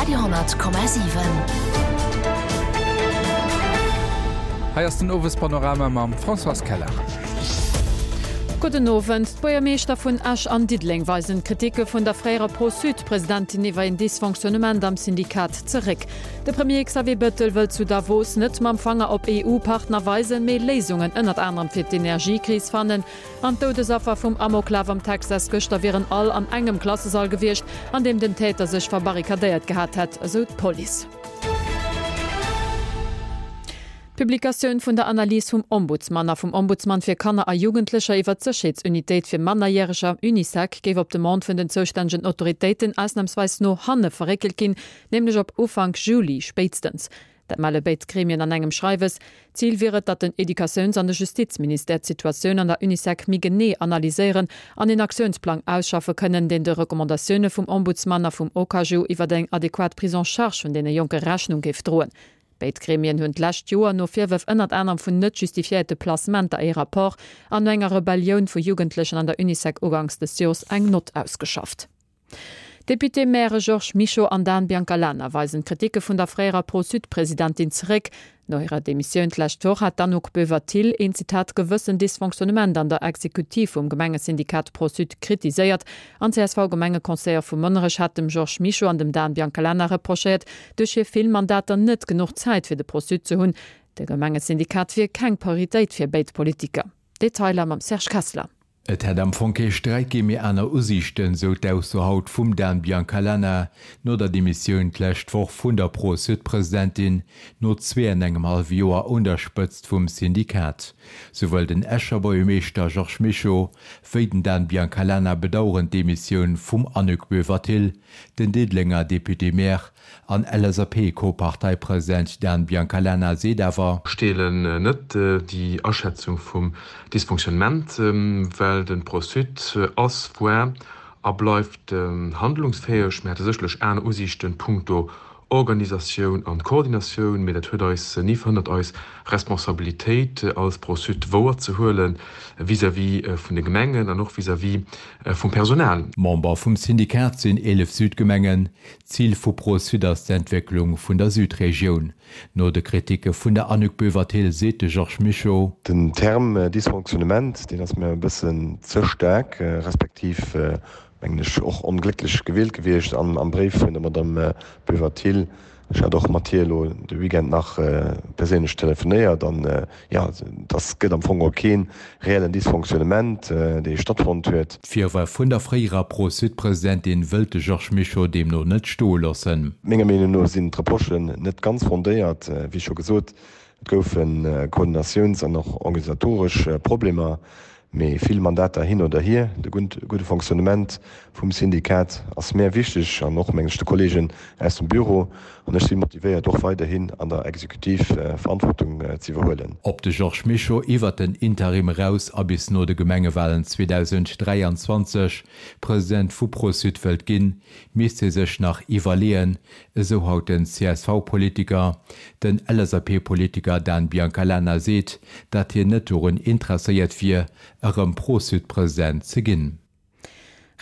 Radio,7. Hei ass den Owespanorama mam Françoise Keller. Gudden Owend. D'Buergermeeschter vun Esch an Diddeleng weisen d'Kriticke vun der fréierer Pro-Sud-Presidentin iwwer een Dysfonctionnement am Syndikat zeréck. De Premier Xavier Bettel wëllt zu Davos net mam Fanger op EU-Partner weisen, mee Léisungen ënnert anerem fir d'Energiekris fannen. An d'Doudesaffer vum Amoklaf am Texas gëschter wieren all an engem Klassesall gewiescht, an deem den Täter sech verbarrikadéiert gehat hätt, esou d'Police. D'Publikatioun vun der Analys vum Ombudsman a vum Ombudsman fir Kanner a Jugendlecher iwwer d'Sécherheetsunitéit fir Mannerjäreger, Unisec, géif op Demande vun den zoustännegen Autoritéiten ausnamsweis no hanne verréckelt ginn, nämlech op Ufank Juli spéitstens. Dat melle béid Gremien an engem Schreiwes. Zil wier et, datt den Educatiouns an de Justizministère d'Situatioun an der Unisec méi genee analyséieren an een Aktiounsplang ausschaffe kënnen, deen de Recommandatioune vum Ombudsman a vum OKaju iwwer eng adequat Prise en charge vun deene Jonke Rechnung géif droen. Béid Gremien hunn d'lescht Joer no Virwërf ënnert anerem vun net justifiéierte Placementer ee Rapport an no enger Rebellioun vu Jugendlechen an der Unisec uganks des Jors eng Nott ausgeschafft. D'Député-Mairë Georges Mischo an Dan Biancalana weisen d'Kriticke vun der fréierer Pro-Sud-Presidentin zeréck. No hirer Demissioun d'lescht Woch hat d'Anouk Boever-Thill een, Zitat, gewëssen Dysfonctionnement an der Exekutiv vum Gemengesyndikat Pro-Sud kritiséiert an d'CSV-Gemengeconseiller vu Monnerech hat dem Georges Mischo an dem Dan Biancalana reprochéiert, duerch hir vill Mandater net genuch Zäit fir de Pro-Sud ze hunn. De Gemengesyndikat wier keng Prioritéit fir béid Politiker. Detailer mam Serge Kessler. Et hätt am Fong kee Sträit ginn, mee aner Usiichten, sou d'Ausso haut vum Dan Biancalana no der Demissioun d'lescht Woch vun der Pro-Sud-Presidentin, no zwee an engem hallwe Joer un der Spëtzt vum Syndikat. Souwuel den Escher Buergermeeschter Georges Mischo wéi den Dan Biancalana bedaueren d'Demissioun vum Annick Boever-Thill. Den Diddelenger Député-Maire An LSAP-Co-Parteipresident Dan Biancalana seet awer. Ech deelen net déi Aschätzung vum Dysfonctionnement, well de Pro-Sud ass, war a bleift handlungsfäeg. Mir hate sécherlech aner Usiichten punkto Organisatioun an Koordinatioun, mee dat huet eis ni verhënnert eis Responsabilitéit als Pro-Sud wouerzehuelen vis-à-vis vun de Gemengen an och vis-à-vis vum Personal. Member vum Syndikat sinn 11 Südgemengen. Zil vu Pro-Sud ass d'Entwécklung vun der Südregioun. No de Kritike vun der Annick Boever-Thill seet de Georges Mischo. Den Term Dysfonctionnement, deen ass mir e bëssen ze staark, respektiv mengen ech och onglécklech gewielt gewiescht am Bréif vun der Madamm Boever-Thill. Ech hat och mat hir elo de Weekend nach perséinlech telefonéiert an jo, dass gëtt am Fong och kee reellen Dysfonctionnement, dee stattfonnt huet. D'Virwërf vun der fréierer Pro-Sud-Presidentin wëllt de Georges Mischo deemno net stoe loossen. Menger Meenung no sinn d'Reprochen net ganz fondéiert. Wéi scho gesot, et goufe Koordinatiouns an och organisatoresch Problemer. Mee vill Mandater hin oder hier, de gudde Fonctionnement vum Syndikat ass mär wichteg an och, mengen ech, de Kollegen aus dem Büro. An ech si motivéiert, och weiderhin an der Exekutiv Verantwortung ze iwwerhuelen. Ob de Georges Mischo iwwert den Interim eraus a bis no de Gemengewalen 2023 President vu Pro-Sud wëllt ginn, misst hie sech nach iwwerleeën, esou haut den CSV-Politiker. Den LSAP-Politiker Dan Biancalana seet, datt hien net dorun interesséiert wier, erëm Pro-Sud-President ze ginn.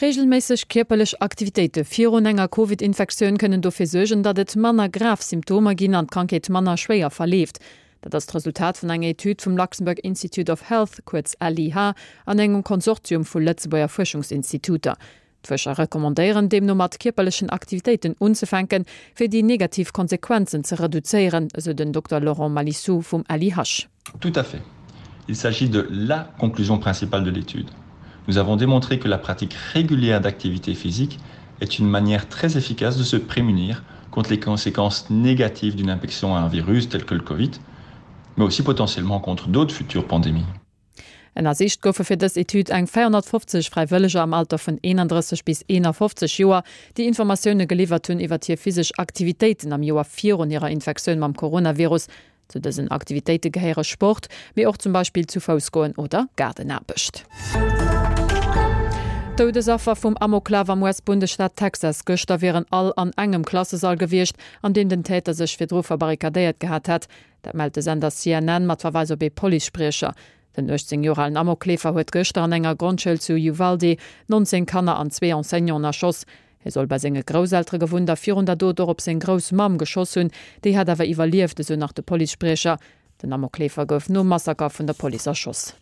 Reegelméisseg kierperlech Aktivitéite virun enger Covid-Infektioun kënnen dofir suergen, datt et manner grav Symptomer ginn an d'Krankheet manner schwéier verleeft. Dat ass d'Resultat vun enger Etüd vum Luxembourg Institute of Health, kuerz LIH, an engem Konsortium vu Lëtzebuerger Fuerschungsinstituter. D'Fuerscher recommandéieren deemno mat kierperlechen Aktivitéiten unzefänken, fir déi negativ Konsequenzen ze reduzéieren, esou den Dokter Laurent Malissou vum LIH. Tout à fait. Il s'agit de la conclusion principale de l'étude. Nous avons démontré que la pratique régulière d'activité physique est une manière très efficace de se prémunir contre les conséquences négatives d'une infection à un virus tel que le Covid, mais aussi potentiellement contre d'autres futures pandémies. Ënnersicht goufe fir dës Etüd eng 450 Fräiwëlleger am Alter vun 31 bis 51 Joer, déi Informatioune geliwwert hunn iwwer hir physesch Aktivitéiten am Joer virun hirer Infektioun mam Coronavirus. Zu dësen Aktivitéite gehéiere Sport, mee och zum Beispill zu Fouss goen oder Gaardenaarbecht. D'Doudesaffer vum Amoklaf am US-Bundesstaat Texas gëschter wieren all an engem Klassesall gewiescht, an deem den Täter sech virdru verbarrikadéiert gehat hätt. Dat mellt de Sender CNN mat Verweis op ee Policespriecher. Den 18 Joer alen Amokleefer huet gëschter an enger Grondschoul zu Uvalde 19 Kanner an zwee Enseignanten erschoss. Hie soll bei senge Grousseltere gewunnt a virun der Dot och op seng Groussmamm geschoss hunn. Déi hätt awer iwwerlieft, esou nach de Policespriecher. Den Amokleefer gouf nom Massaker vun der Police erschoss.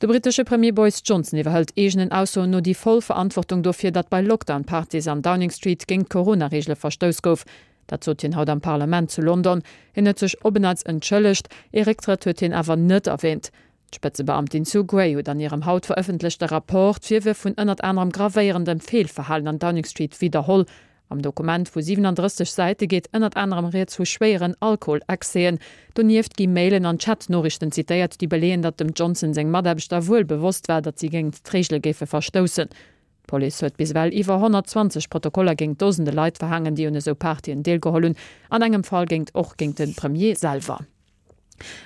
De brittesche Premier Boris Johnson iwwerhëlt eegenen Aussoen no déi voll Verantwortung dofir, datt bei Lockdown-Partys an Downing Street géint d'Corona-Reegele verstouss gouf. Dat sot hien haut am Parlament zu London. Hien huet sech op en Neits entschëllegt, ee Récktrëtt huet hien awer net erwäänt. D'Spëtzebeamtin Sue Gray huet an hirem haut verëffentlechte Rapport d'Virwërf vun ënnert anerem gravéierendem Feelverhalen an Downing Street widderholl. Am Dokument vu 37 Säite geet ënnert anerem rieds vu schwéieren Alkoholexcèsen. Donieft gi Mailen an Chat-Noriichten zitéiert, déi beleeën, datt dem Johnson seng Mataarbechter wuel bewosst war, datt si géingt d'Reegele géife verstoussen. D'Police huet bis ewell iwwer 120 Protokoller géingt Dosende Leit verhaangen, déi un esou Partyen deelgeholl hunn, an engem Fall géingt och géingt de Premier selwer.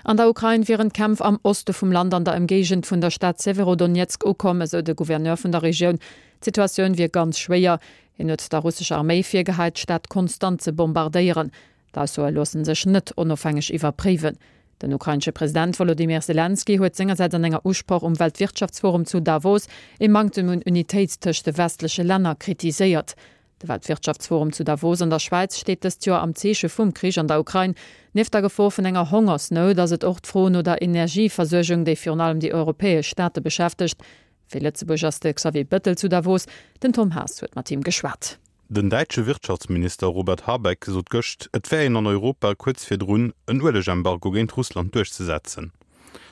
An der Ukrain wieren d'Kämpf am Oste vum Land an der Ëmgéigend vun der Stad Severodonetsk ukomm, esou de Gouverneur vun der Regioun. D'Situatioun wier ganz schwéier. Hien huet der russescher Arméi virgehäit, d'Stad konstant ze bombardéieren. D'Aussoe loosse sech net onofhängeg iwwerpréiwen. Den ukrainesche President Wolodymyr Selenskyj huet sengersäits an enger Usproch um Weltwirtschaftsforum zu Davos ee Manktem un Unitéit tëscht de westleche Länner kritiséiert. De Weltwirtschaftsforum zu Davos an der Schwäiz steet dëst Joer am Zeeche vum Krich an der Ukrain. Nieft der Gefor vun enger Hongersnout ass et och d'Fro no der Energieversuergung, déi virun allem déi europäesch Staate beschäftegt. Fir Lëtzebuerg ass de Xavier Bettel zu Davos. Den Tom Haas huet mat him geschwat. Den däitsche Wirtschaftsminister Robert Habeck sot gëscht, et wär een an Europa kuerz virdrun, en Uelegembargo géint Russland duerchzesetzen.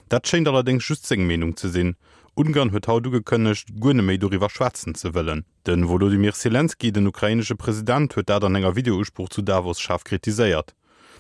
Dat schéint allerdéngs just seng Meenung ze sinn. Ungarn huet haut ugekënnegt, guer neméi doriwwer schwätzen ze wëllen. De Wolodymyr Selenskyj, den ukrainesche President, huet dat an enger Videousprooch zu Davos schaarf kritiséiert.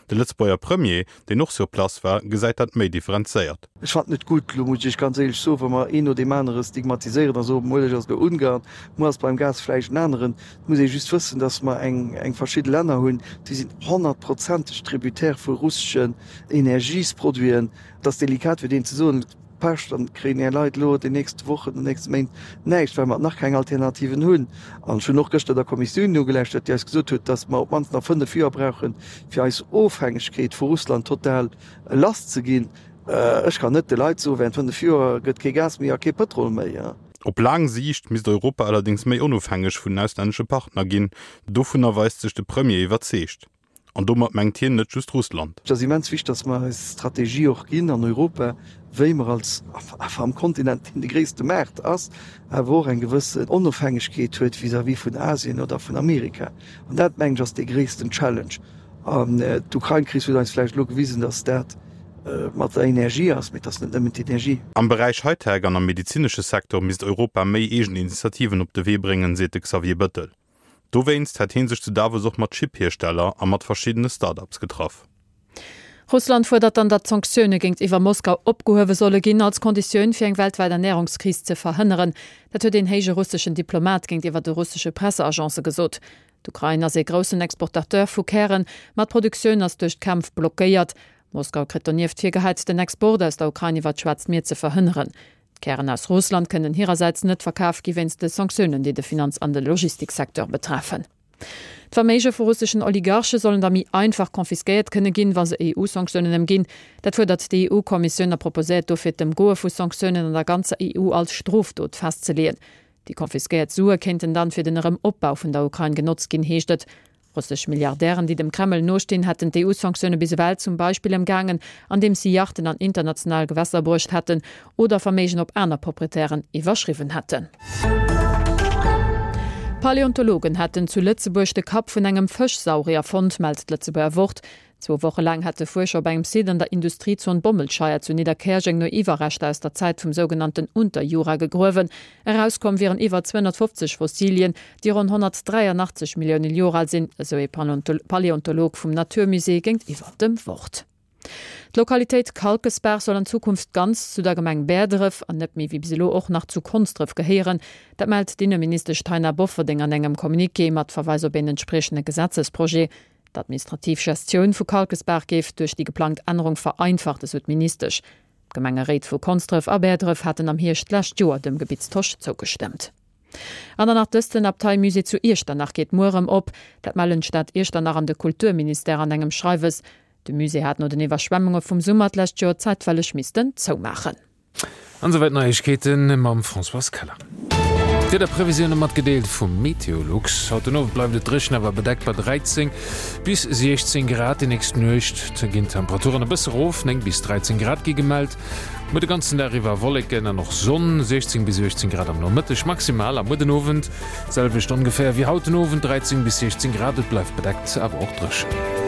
De Lëtzebuerger Premier, deen och sur place war, gesäit dat méi differenzéiert. Ech fannen et gutt, elo muss ech Iech ganz éierlech soen, wa mer een no deem anere stigmatiséieren a soen, muer ass elo Ungarn, muer ass beim Gas vläicht en aneren. Et muss ee just wëssen, datt mer eng eng verschidde Länner hunn, déi sinn honnertprozenteg tributaire vu russeschen Energiesproduiten. Et ass delikat fir deen ze soen. Pech, dann kréien är Leit elo déi nächst Wochen, déi nächst Méint näischt, well mer nach keng Alternativen hunn. An ech hunn och gëschter der Kommissioun nogelauschtert, déi eis gesot huet, dass mer op d'mannst nach 5 Joer brauchen, fir eis Ofhängegkeet vu Russland total lass ze ginn. Ech kann net de Leit soen, während 5 Joer gëtt kee Gas méi a kee Pëtrol méi. Op laang Siicht misst Europa allerdéngs méi onofhängeg vun den auslännesche Partner ginn. Dovunner weist sech de Premier iwwerzeegt. An domat mengt hien net just Russland. Et ass immens wichteg, dass mer eis Strategie och ginn an Europa, wéi mer als, awer am Kontinent, deen de gréisste Maart ass, awer och eng gewëssen Onofhängegkeet huet vis-à-vis vun Asien oder vun Amerika. An dat, mengen ech, ass dee gréissten Challenge. An d'Ukrain-Kris huet eis vläicht elo gewisen, dass dat mat der Energie ass, mee et ass net nëmmen d'Energie. Am Beräich Hightech an am medezinesche Secteur misst Europa méi eegen Initiativen op de Wee bréngen, seet de Xavier Bettel. Dowéinst hätt hie sech zu Davos och mat Chip-Hiersteller a mat verschiddene Start-ups getraff. Russland fuerdert dann, datt d'Sanktioune géintiwwer Moskau opgehuewe solle ginn, als Konditioun fir eng weltwäit Ernärungskris ze verhënneren. Dat huet een héije russeschen Diplomat géintiwwer de russesche Presseagence gesot. D'Ukrain ass ee groussen Exportateur vu Kären, ma d'Produktioun ass duerch d'Kämpf blockéiert. Moskau kritt donieft virgehäit, den Export aus der Ukrain iwwer d'Schwaarzt Mier ze verhënneren. D'Kären aus Russland kënnen hirersäits net verkaf gi wéinst de Sanktiounen, déi de Finanz an de Logistiksecteur betreffen. D'Verméige vu russeschen Oligarche sollen da méi einfach confisquéiert kënne ginn, wa se EU-Sanktiounen ëmginn. Dat fuerdert d'EU-Kommissioun a proposéiert dofir d'Ëmgoe vu Sanktiounen an der ganzer EU als Strofdot festzeleeën. Déi confisquéiert Sue kéinten dann fir den Erëm-Opbau vun der Ukrain genotzt ginn, heescht et. Russesch Milliardären, déi dem Kreml nostinn, hätten d'EU-Sanktioune bis ewell zum Beispill ëmgaangen, andeems si Yachten an international Gewässer bruecht hätten oder Verméigen op aner Proprietären iwwerschriwwen hätten. Paläontologen hätten zu Lëtzebuerg de Kapp vun engem Fëschsaurier fonnt, mellt d'Lëtzebuerger Wort. Zwou Woche laang hätte Fuerscher op engem Site an der Industriezon Bommelscheier zu Nidderkäerjeng no Iwwerreschter aus der Zäit vum sougenannten Unterjura gegruewen. Erauskomm wieren iwwer 250 Fossilien, déi ronn 183 Millioune Joer al sinn, esou ee Paläontolog vum Naturmusée géintiwwer dem Wort. D'Lokalitéit Kalkesbaach soll an Zukunft ganz zu der Gemeng Bäerdref an net méi wéi bis elo och nach zu Konsdref gehéieren. Dat mellt d'Inneministesch Taina Bofferding an engem Communiqué mat Verweis op een entspriechende Gesetzesprojet. D'administrativ Gestioun vu Kalkesbaach géif duerch déi geplangt Ännerung vereinfacht, esou d'Ministesch. D'Gemengeréit vu Konsdref a Bäerdref haten am Hierscht d'lescht Joer dem Gebittstosch zougestëmmt. An dann nach dëst, Den Abteimusée zu Iechternach geet muer erëm op. Dat mellen d'Stad Iechternach an de Kulturministère an engem Schreiwes. De Musée hat no den Iwwerschwemmunge vum Summer d'lescht Joer zäitweileg missten zoumaachen. An esouwäit d'Neiegkeete mam Françoise Keller. D'Wiederprevisioune matgedeelt vum Meteolux. Haut den Owend bleift et dréchen awer bedeckt bei 13 bis 16 Grad. Déi nächst Nuecht ginn d'Temperaturen e bësse rof, 9 bis 13 Grad gi gemellt. Muer de ganzen Dag iwwer Wolleken an och Sonn, 16 bis 18 Grad am Nomëtteg maximal a muer den Owend d'selwecht ongeféier wéi haut den Owend, 13 bis 16 Grad. Et bleift bedeckt awer och dréchen.